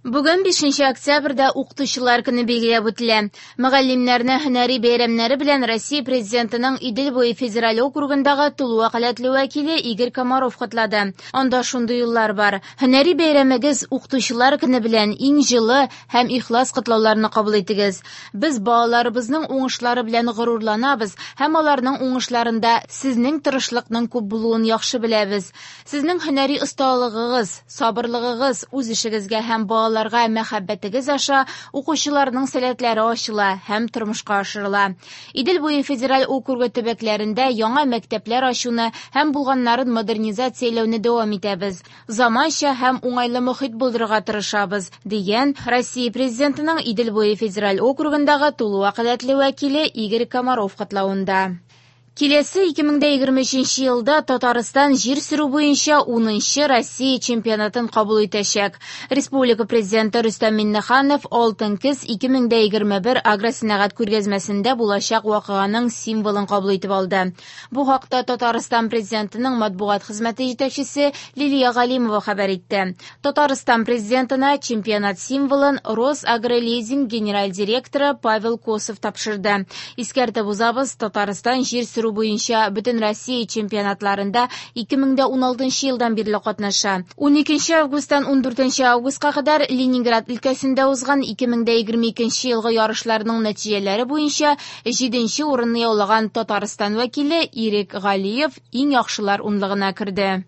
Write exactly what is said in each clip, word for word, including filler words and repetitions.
Бүген бишенче октябрьдә Укытучылар көне билгеләп үтелә. Мөгаллимнәрне һөнәри бәйрәмнәре белән Россия Президентының Идел буе федераль округындагы тулы вәкаләтле вәкиле Игорь Комаров котлады. Анда шундый юллар бар. Һөнәри бәйрәмегез Укытучылар көне белән иң җылы һәм ихлас котлауларны кабул итегез. Без балаларыбызның уңышлары белән горурланабыз һәм аларның уңышларында сезнең тырышлыкның күп булуын яхшы беләбез. Сезнең һөнәри осталыгыгыз, сабырлыгыгыз, үз эшегезгә һәм балаларга мәхәббәтегез аша укучыларның сәләтләре ачыла һәм тормышка ашырыла. Идел буе федераль округы төбәкләрендә яңа мәктәпләр ачуны һәм булганнарын модернизацияләүне дәвам итәбез. Заманча һәм уңайлы мохит булдырырга тырышабыз, дигән Россия Президентының Идел буе федераль округындагы тулы вәкаләтле вәкиле Игорь Комаров котлавында. Киләсе ике мең дә егерме өченче елда Татарстан җир сөрү буенча унынчы Россия чемпионатын кабул итәчәк. Республика президенты Рөстәм Миңнеханов Алтын көз ике мең дә егерме бер агросәнәгать күргәзмәсендә булачак вакыйганың символын кабул итеп алды. Бу хакта Татарстан президентының матбугат хезмәте җитәкчесе Лилия Галимова хәбәр итте. Татарстан президентына чемпионат символын Росагролизинг генераль директоры Павел Косов тапшырды. Искәртеп узабыз, Татарстан җир сөрү буенча бөтен Россия чемпионатларында ике мең дә уналтынчы елдан бирле катнаша. Уникенче августтан ундүртенче августка кадәр Ленинград өлкәсендә узган ике мең дә егерме икенче елгы ярышларның нәтиҗәләре буенча җиденче урынны яулаган Татарстан вәкиле Ирек Галиев иң яхшылар унлыгына керде.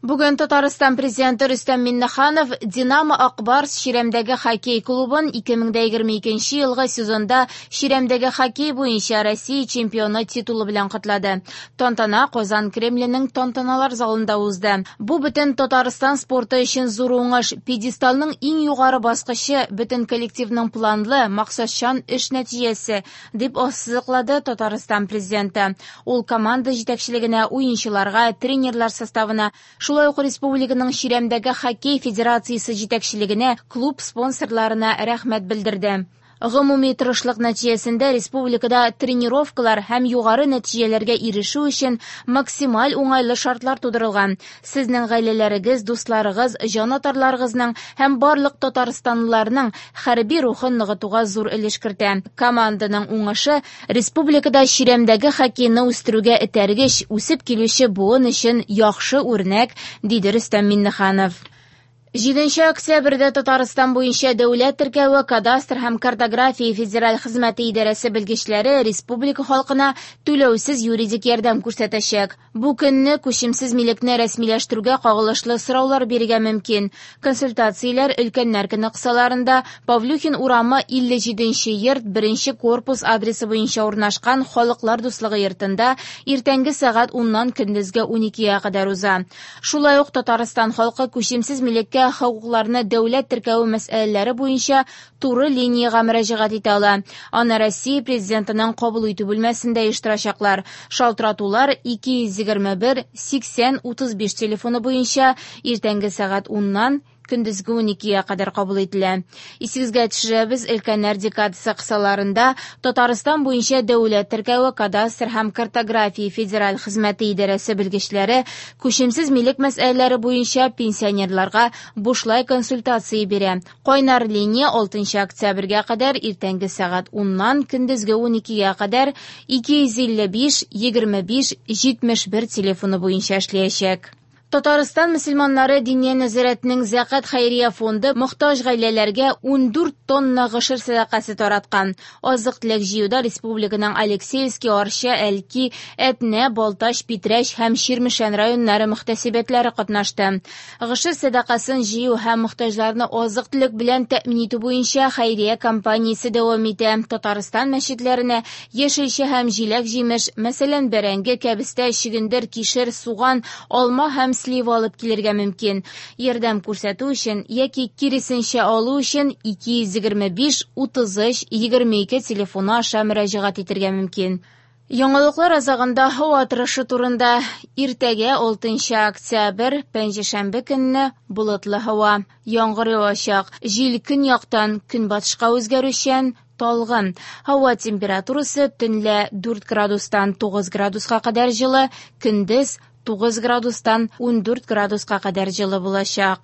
Бүген Татарстан президенты Рөстәм Миңнеханов Динамо Акбарс Чирәмдәге хоккей клубын ике мең дә егерме икенче елгы сезонда Чирәмдәге хоккей буенча Россия чемпионы титулы белән котлады. Тантана Казан Кремленең тантаналар залында узды. Бу бөтен Татарстан спорты өчен зур уңыш, пьедесталның иң югары баскычы, бөтен коллективның планлы, максатчан эш нәтиҗәсе, дип ассызыклады Татарстан президенты. Ул команда җитәкчелегенә, уенчыларга, тренерлар составына, шулай ук республиканың Чирәмдәге хоккей федерациясе җитәкчелегенә, клуб спонсорларына рәхмәт белдерде. Гомуми тырышлык нәтиҗәсендә республикада тренировкалар һәм югары нәтиҗәләргә ирешү өчен максималь уңайлы шартлар тудырылган. Сезнең гаиләләрегез, дусларыгыз, җанатарларыгызның һәм барлык татарстанлыларның хәрби рухын ныгытуга зур өлеш кертә. Команданың уңышы республикада Чирәмдәге хоккейны үстерүгә этәргеч, үсеп килүче буын өчен яхшы үрнәк, диде Рөстәм Миңнеханов. Җиденче октябрьдә Татарстан буенча дәүләт теркәве, кадастр һәм картография федераль хезмәте идарәсе белгечләре республика халкына түләүсез юридик ярдәм күрсәтәчәк. Бу көнне күчемсез милекне рәсмиләштерүгә кагылышлы сораулар бирергә мөмкин. Консультацияләр өлкәннәр көне кысаларында Павлюхин урамы илле җиденче йорт беренче корпус адресы буенча урнашкан Халыклар дуслыгы йортында иртәнге сәгать уннан көндезге уникегә кадәр уза. Шулай ук Татарстан халкы күчемсез милеккә хокукларны дәүләт теркәве мәсьәләләре буенча туры линиягә мөрәҗәгать итә ала. Аны Россия президентының кабул итү бүлмәсендә оештырачаклар. Шалтыратулар ике йөз егерме бер сиксән утыз биш телефоны буенча иртәнге сәгать уннан көндезге уникегә кадәр кабул ителә. Исегезгә төшерәбез, өлкәннәр декадасы кысаларында Татарстан буенча дәүләт теркәве, кадастр һәм картография федераль хезмәте идарәсе белгечләре күчемсез милек мәсьәләләре буенча пенсионерларга бушлай консультация бирә. Кайнар линия алтынчы октябрьгә кадәр иртәнге сәгать уннан көндезге уникегә кадәр ике йөз илле биш егерме биш җитмеш бер телефоны буенча эшләячәк. Татарстан мөселманнары Диния нәзарәтенең Зәкат хәйрия фонды мохтаҗ гаиләләргә ундүрт тонна гошер сәдакасы тараткан. Азык-төлек җыюда республиканың Алексеевский, Арча, Әлки, Әтнә, Балтач, Питрәч һәм Чирмешән районнары мөхтәсибәтләре катнашты. Гошер сәдакасын җыю һәм мохтаҗларны азык-төлек белән тәэмин итү буенча хәйрия кампаниясе дәвам итә. Татарстан мәчетләренә яшелчә һәм җиләк-җимеш, мәсәлән, бәрәңге, кәбестә, чөгендер, кишер, суган, алма һәм слива алып килергә мөмкин. Ярдәм күрсәтү өчен яки киресенчә алу өчен ике йөз егерме биш утыз өч егерме ике телефоны аша мөрәҗәгать итәргә мөмкин. Яңалыклар азагында һава торышы турында. Иртәгә алтынчы октябрь, пәнҗешәмбе көнне болытлы һава, яңгыр явачак, җил көньяктан көнбатышка үзгәрүчән, талгын. Һава температурасы төнлә дүрт градустан тугыз градуска кадәр җылы, көндез тугыз градустан ундүрт градуска кадәр җылы булачак.